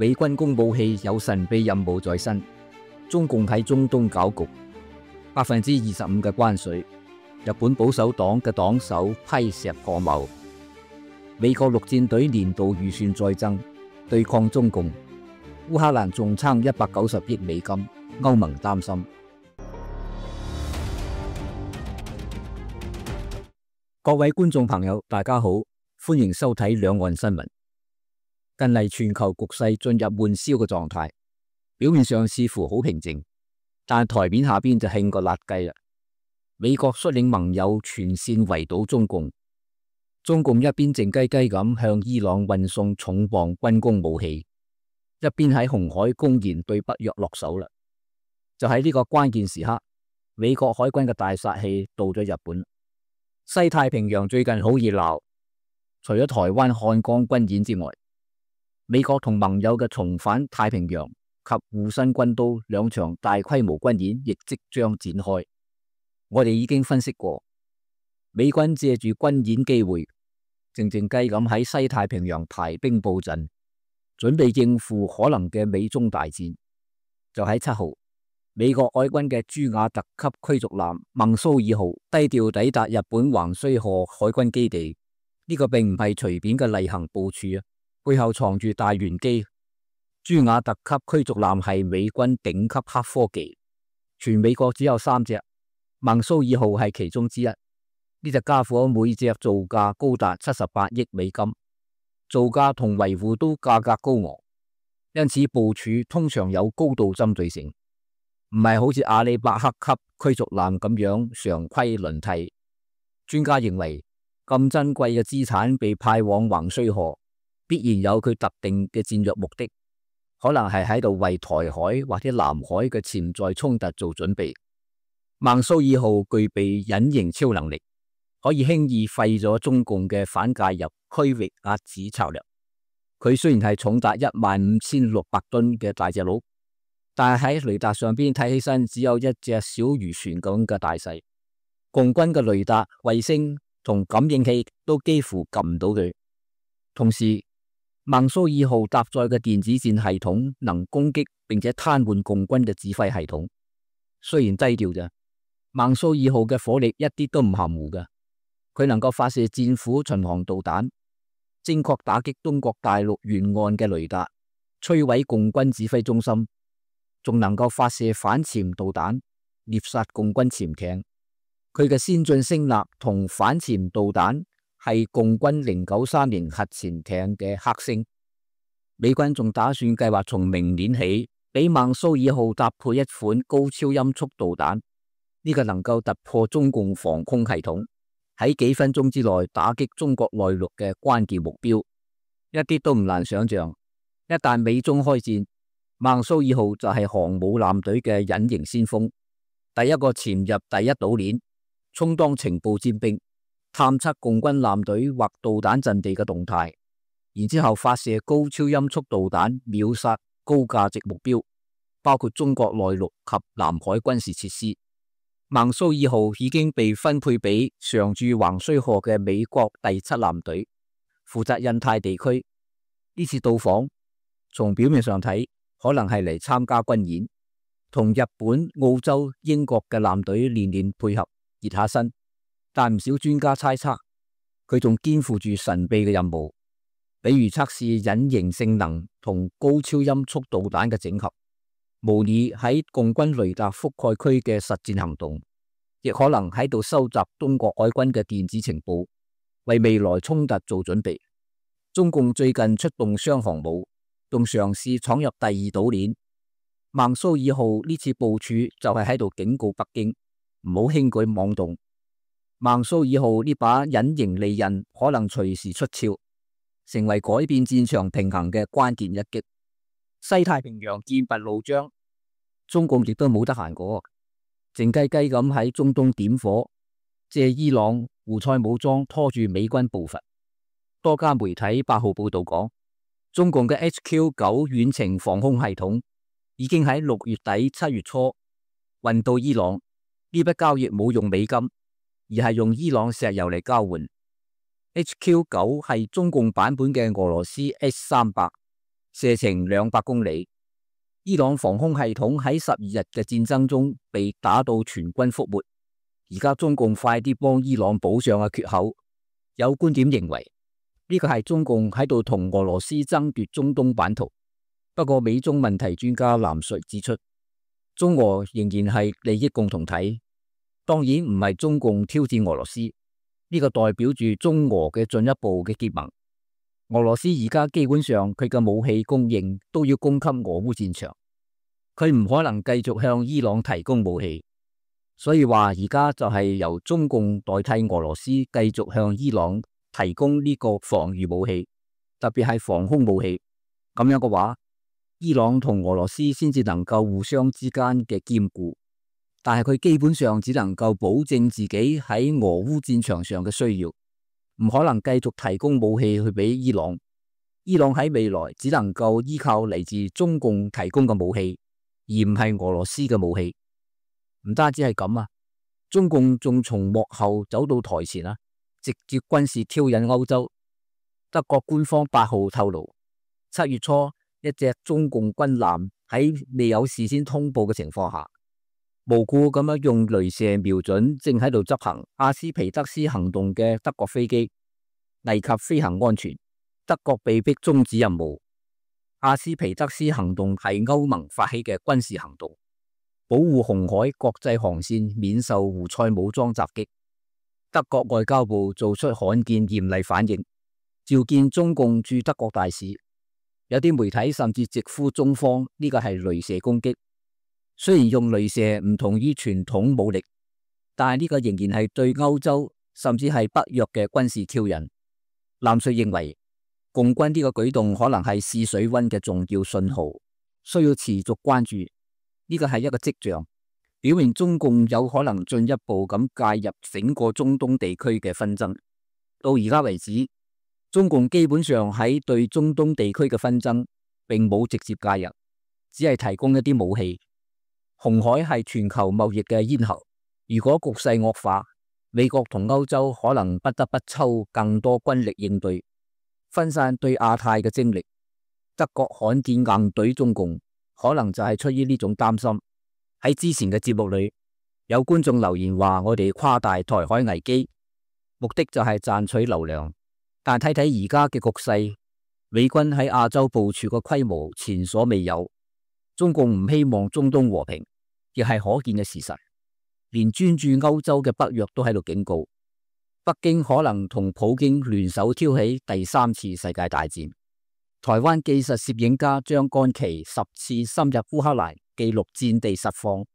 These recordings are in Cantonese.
美軍公武器有神秘任務在身，中共喺中東搞局，25%嘅關稅，日本保守黨嘅黨首批石破茂，美國陸戰隊年度預算再增，對抗中共，烏克蘭仲撐190億美金，歐盟擔心。各位觀眾朋友，大家好，歡迎收睇兩岸新聞。近嚟全球局勢進入悶燒嘅狀態，表面上似乎好平靜，但台面下邊就興個辣雞啦。美國率領盟友全線圍堵中共，中共一邊靜雞雞咁向伊朗運送重磅軍工武器，一邊喺紅海公然對北約落手啦。就喺呢個關鍵時刻，美國海軍嘅大殺器到咗日本。西太平洋最近好熱鬧，除咗台灣漢江軍演之外，美國同盟友嘅重返太平洋及護身軍刀兩場大規模軍演亦即將展開。我哋已經分析過，美軍借住軍演機會，靜靜雞咁喺西太平洋排兵布陣，準備應付可能嘅美中大戰。就喺7號，美國海軍嘅朱瓦特級驅逐艦孟蘇爾號低調抵達日本橫須賀海軍基地，呢個並唔係隨便嘅例行部署啊！背後藏住大玄機。朱瓦特級驅逐艦係美軍頂級黑科技，全美國只有3隻，孟蘇爾號係其中之一。呢隻家伙每隻造價高達78億美金，造價同維護都價格高昂，因此部署通常有高度針對性，唔係好似阿里伯克級驅逐艦咁樣常規輪替。專家認為，咁珍貴嘅資產被派往橫須賀，必然有佢特定嘅戰略目的，可能係喺度為台海或者南海嘅潛在衝突做準備。孟蘇爾號具備隱形超能力，可以輕易廢咗中共嘅反介入區域壓制策略。佢雖然係重達15600噸嘅大隻佬，但係喺雷達上邊睇起身只有一隻小漁船咁嘅大細。共軍嘅雷達、衛星同感應器都幾乎撳唔到佢。同時，孟蘇爾號搭載嘅電子戰系統能攻擊並且癱瘓共軍嘅指揮系統。雖然低調咋，孟蘇爾號嘅火力一啲都唔含糊㗎。佢能夠發射戰斧巡航導彈，精確打擊中國大陸沿岸嘅雷達，摧毀共軍指揮中心，仲能夠發射反潛導彈，獵殺共軍潛艇。佢嘅先進聲納同反潛導彈係共軍093年核潛艇嘅剋星。美軍仲打算計劃從明年起，俾孟蘇爾號搭配一款高超音速導彈，呢個能夠突破中共防空系統，喺幾分鐘之內打擊中國內陸嘅關鍵目標，一啲都唔難想象。一旦美中開戰，孟蘇爾號就係航母艦隊嘅隱形先鋒，第一個潛入第一島鏈，充當情報尖兵，探測共軍艦隊或導彈陣地嘅動態，然之後發射高超音速導彈秒殺高價值目標，包括中國內陸及南海軍事設施。孟蘇爾號已經被分配俾常駐橫須賀嘅美國第7艦隊，負責印太地區。呢次到訪，從表面上睇，可能係嚟參加軍演，同日本、澳洲、英國嘅艦隊練練配合，熱下身。但唔少專家猜測，佢仲肩負住神秘嘅任務，比如測試隱形性能同高超音速導彈嘅整合，模擬喺共軍雷達覆蓋區嘅實戰行動，亦可能喺度收集中國海軍嘅電子情報，為未來衝突做準備。中共最近出動雙航母，仲嘗試闖入第2島鏈。孟蘇爾號呢次部署就係喺度警告北京，唔好輕舉妄動。孟蘇爾號呢把隱形利刃可能隨時出鞘，成為改變戰場平衡嘅關鍵一擊。西太平洋劍拔弩張，中共亦都冇得閒過，靜雞雞咁喺中東點火，借伊朗、胡塞武裝拖住美軍步伐。多家媒體8號報道講，中共嘅 HQ9 遠程防空系統已經喺6月底7月初運到伊朗。呢筆交易冇用美金，而係用伊朗石油嚟交換。HQ9 係中共版本嘅俄羅斯 S300，射程200公里。伊朗防空系統喺12日嘅戰爭中被打到全軍覆沒。而家中共快啲幫伊朗補上嘅缺口。有觀點認為呢個係中共喺度同俄羅斯爭奪中東版圖。不過美中問題專家藍述指出，中俄仍然係利益共同體，當然唔係中共挑戰俄羅斯，呢個代表住中俄嘅進一步嘅結盟。俄羅斯而家基本上佢嘅武器供應都要供給俄烏戰場，佢唔可能繼續向伊朗提供武器，所以話而家就係由中共代替俄羅斯繼續向伊朗提供呢個防禦武器，特別係防空武器。咁樣嘅話，伊朗同俄羅斯先至能夠互相之間嘅兼顧，但係佢基本上只能夠保證自己喺俄烏戰場上嘅需要，唔可能繼續提供武器去俾伊朗。伊朗喺未來只能夠依靠嚟自中共提供嘅武器，而唔係俄羅斯嘅武器。唔單止係咁啊，中共仲從幕後走到台前啊，直接軍事挑釁歐洲。德國官方8號透露，7月初一隻中共軍艦喺未有事先通報嘅情況下，無故咁樣用雷射瞄準正喺度執行阿斯皮德斯行動嘅德國飛機，危及飛行安全，德國被迫終止任務。阿斯皮德斯行動係歐盟發起嘅軍事行動，保護紅海國際航線免受胡塞武裝襲擊。德國外交部做出罕見嚴厲反應，召見中共駐德國大使。有啲媒體甚至直呼中方呢個係雷射攻擊。雖然用雷射唔同於傳統武力，但係呢個仍然係對歐洲甚至係北約嘅軍事挑釁。藍述認為，共軍呢個舉動可能係試水溫嘅重要信號，需要持續關注。呢個係一個跡象，表明中共有可能進一步咁介入整個中東地區嘅紛爭。到而家為止，中共基本上喺對中東地區嘅紛爭並冇直接介入，只係提供一啲武器。紅海係全球貿易嘅咽喉，如果局勢惡化，美國同歐洲可能不得不抽更多軍力應對，分散對亞太嘅精力。德國罕見硬懟中共，可能就係出於呢種擔心。喺之前嘅節目裏，有觀眾留言話我哋誇大台海危機，目的就係賺取流量。但睇睇而家嘅局勢，美軍喺亞洲部署嘅規模前所未有，中共唔希望中東和平，亦係可見嘅事實。連專注歐洲嘅北約都喺度警告，北京可能同普京聯手挑起第3次世界大戰。台灣技術攝影家張干琪10次深入烏克蘭記錄戰地實況。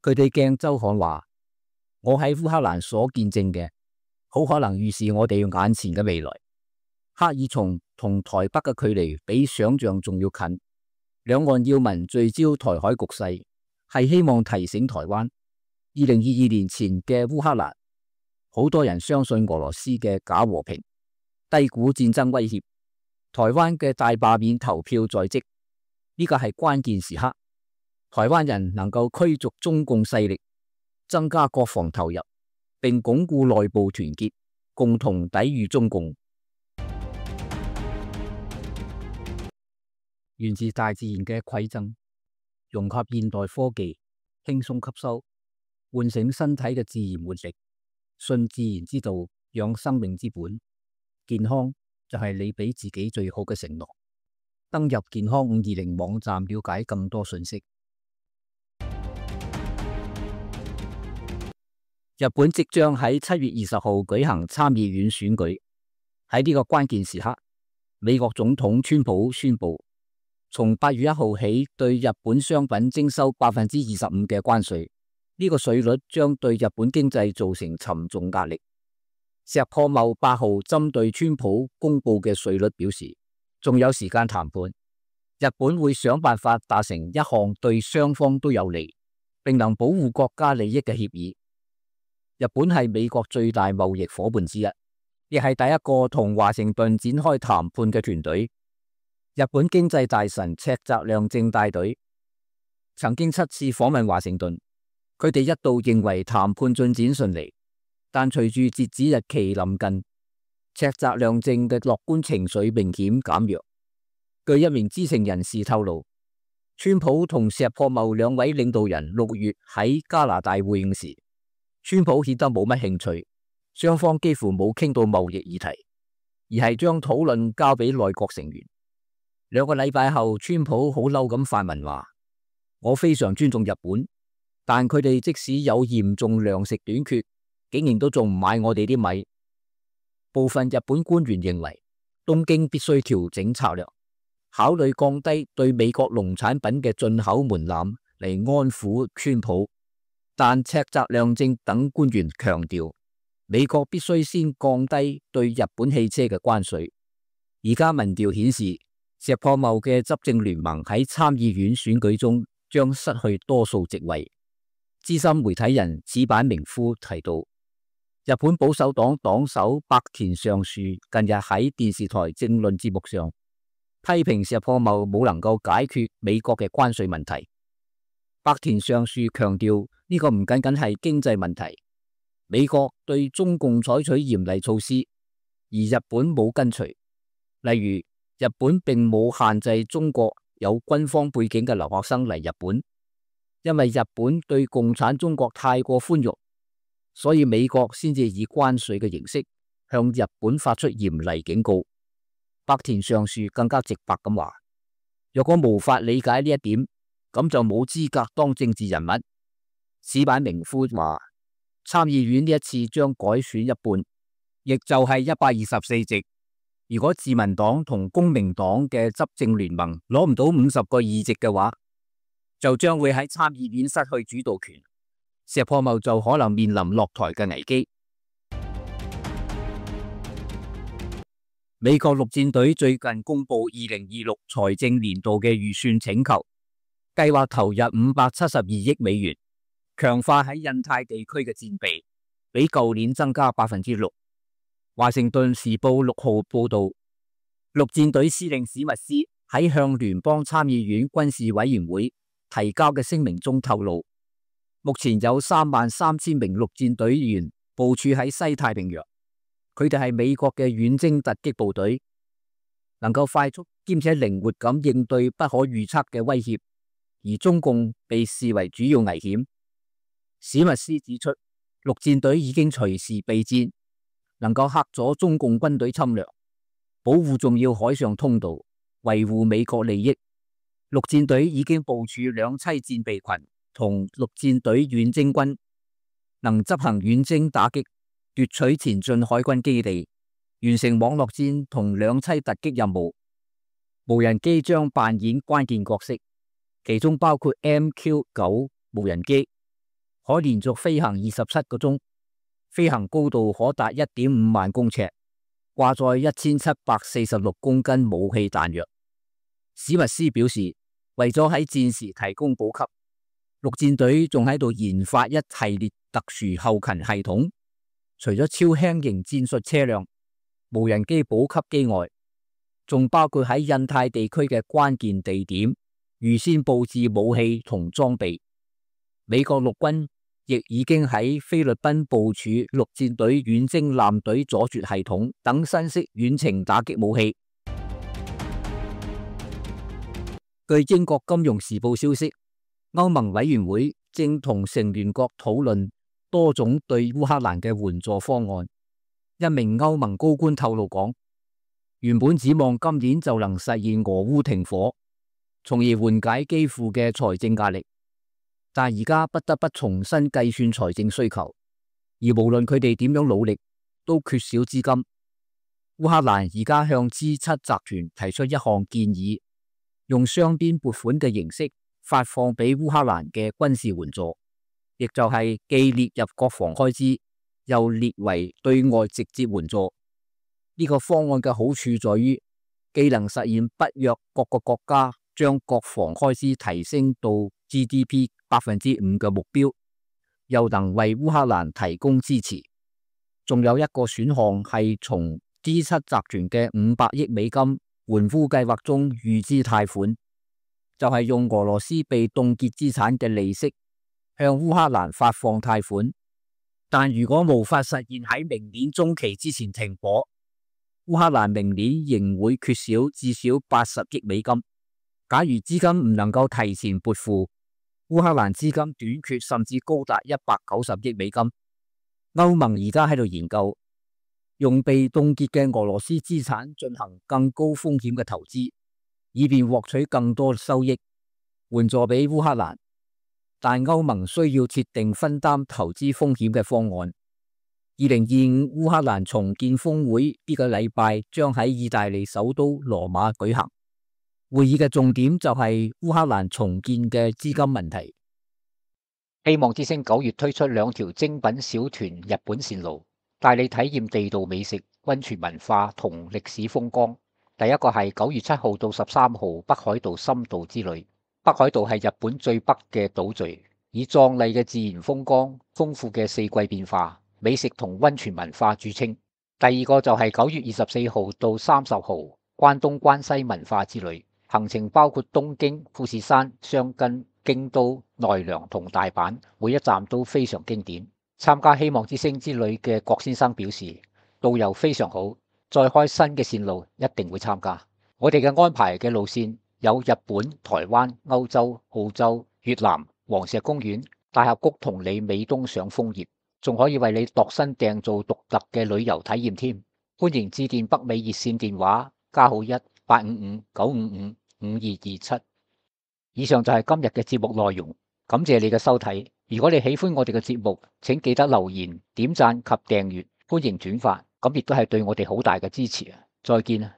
佢哋鏡週刊話：我喺烏克蘭所見證嘅，好可能預示我哋眼前嘅未來。赫爾松同台北嘅距離比想象仲要近，兩岸要民聚焦台海局勢，係希望提醒台灣，2022年前嘅烏克蘭，好多人相信俄羅斯嘅假和平，低估戰爭威脅。台灣嘅大罷免投票在即，呢個係關鍵時刻。台灣人能夠驅逐中共勢力，增加國防投入，並鞏固內部團結，共同抵禦中共。源自大自然嘅饋贈，融合現代科技，輕鬆吸收，喚醒身體嘅自然活力，信自然之道，養生命之本。健康就係你俾自己最好嘅承諾。登入健康520網站了解更多信息。日本即將喺7月20號舉行參議院選舉，喺呢個關鍵時刻，美國總統川普宣布，從8月1號起對日本商品徵收25%嘅關稅，呢個稅率將對日本經濟造成沉重壓力。石破茂8號針對川普公布嘅稅率表示，仲有時間談判，日本會想辦法達成一項對雙方都有利，並能保護國家利益嘅協議。日本係美國最大貿易夥伴之一，亦係第一個同華盛頓展開談判嘅團隊。日本經濟大臣赤澤亮正帶隊曾經7次訪問華盛頓，佢哋一度認為談判進展順利，但隨住截止日期臨近，赤澤亮正嘅樂觀情緒明顯減弱。據一名知情人士透露，川普同石破茂兩位領導人6月喺加拿大會晤時，川普顯得冇乜興趣，雙方幾乎冇傾到貿易議題，而係將討論交俾內閣成員。2個禮拜後，川普好嬲咁發文話：我非常尊重日本，但佢哋即使有嚴重糧食短缺，竟然都仲唔買我哋啲米。部分日本官員認為，東京必須調整策略，考慮降低對美國農產品嘅進口門檻嚟安撫川普，但赤澤亮正等官員強調，美國必須先降低對日本汽車嘅關稅。而家民調顯示，石破茂嘅執政聯盟喺參議院選舉中將失去多數席位。資深媒體人矢板明夫提到，日本保守黨黨首白田尚樹近日喺電視台政論節目上批評石破茂冇能夠解決美國嘅關稅問題。白田尚樹強調，呢個唔僅僅係經濟問題，美國對中共採取嚴厲措施，而日本冇跟隨。例如，日本並冇限制中國有軍方背景嘅留學生嚟日本，因為日本對共產中國太過寬容，所以美國先至以關稅嘅形式向日本發出嚴厲警告。白田尚樹更加直白咁話：若果無法理解呢一點，咁就冇資格當政治人物。矢板明夫話，參議院呢一次將改選一半，亦就係124席。如果自民黨同公明黨嘅執政聯盟攞唔到50個議席嘅話，就將會喺參議院失去主導權，石破茂就可能面臨落台嘅危機。美國陸戰隊最近公布2026財政年度嘅預算請求，計劃投入572億美元，強化喺印太地區嘅戰備，比舊年增加6%。華盛頓時報6號報道，陸戰隊司令史密斯喺向聯邦參議院軍事委員會提交嘅聲明中透露，目前有33000名陸戰隊員部署喺西太平洋。佢哋係美國嘅遠征突擊部隊，能夠快速兼且靈活咁應對不可預測嘅威脅，而中共被視為主要危險。史密斯指出，陸戰隊已經隨時備戰，能夠嚇阻中共軍隊侵略，保護重要海上通道，維護美國利益。陸戰隊已經部署2棲戰備群同陸戰隊遠征軍，能執行遠征打擊，奪取前進海軍基地，完成網絡戰同2棲突擊任務。無人機將扮演關鍵角色，其中包括 MQ-9 無人機，可連續飛行27個鐘，飛行高度可達 1.5 萬公尺，掛載1746公斤武器彈藥。史密斯表示，為咗喺戰時提供補給，陸戰隊仲喺度研發一系列特殊後勤系統。除咗超輕型戰術車輛、無人機補給機外，仲包括喺印太地區嘅關鍵地點預先佈置武器同裝備。美國陸軍亦已經喺菲律賓部署陸戰隊遠征艦隊阻絕系統等新式遠程打擊武器。據英國金融時報消息，歐盟委員會正同成員國討論多種對烏克蘭嘅援助方案。一名歐盟高官透露講，原本指望今年就能實現俄烏停火，從而緩解基輔嘅財政壓力，但而家不得不重新計算財政需求，而無論佢哋點樣努力，都缺少資金。烏克蘭而家向 G7 集團提出一項建議，用雙邊撥款嘅形式發放俾烏克蘭嘅軍事援助。亦就係既列入國防開支，又列為對外直接援助。呢個方案嘅好處在於，既能實現北約各個國家將國防開支提升到 GDP 5% 嘅目標，又能為烏克蘭提供支持。仲有一個選項係從 G7 集團嘅500億美金援烏計劃中預支貸款，就係用俄羅斯被凍結資產嘅利息向烏克蘭發放貸款，但如果無法實現喺明年中期之前停火，烏克蘭明年仍會缺少至少80億美金。假如資金唔能夠提前撥付，烏克蘭資金短缺甚至高達190億美金。歐盟而家喺度研究用被凍結嘅俄羅斯資產進行更高風險嘅投資，以便獲取更多收益，援助俾烏克蘭。但歐盟需要設定分擔投資風險嘅方案。2025烏克蘭重建峰會呢個禮拜將喺意大利首都羅馬舉行。會議嘅重點就係烏克蘭重建嘅資金問題。希望之星9月推出2條精品小團日本線路，帶你體驗地道美食、溫泉文化同歷史風光。第一個係9月7號到13號北海道深度之旅。北海道係日本最北嘅島嶼，以壯麗嘅自然風光、豐富嘅四季變化、美食同溫泉文化著稱。第二個就係9月24號到30號關東關西文化之旅，行程包括東京、富士山、箱根、京都、奈良同大阪，每一站都非常經典。參加希望之星之旅嘅郭先生表示，導遊非常好，再開新嘅線路一定會參加。我哋嘅安排嘅路線有日本、台灣、歐洲、澳洲、越南、黃石公園、大峽谷同你美東賞楓葉，仲可以為你度身訂造獨特嘅旅遊體驗添。歡迎致電北美熱線電話+1-855-955-5227。以上就係今日嘅節目內容，感謝你嘅收睇。如果你喜歡我哋嘅節目，請記得留言、點讚及訂閱，歡迎轉發，咁亦都係對我哋好大嘅支持啊！再見啊！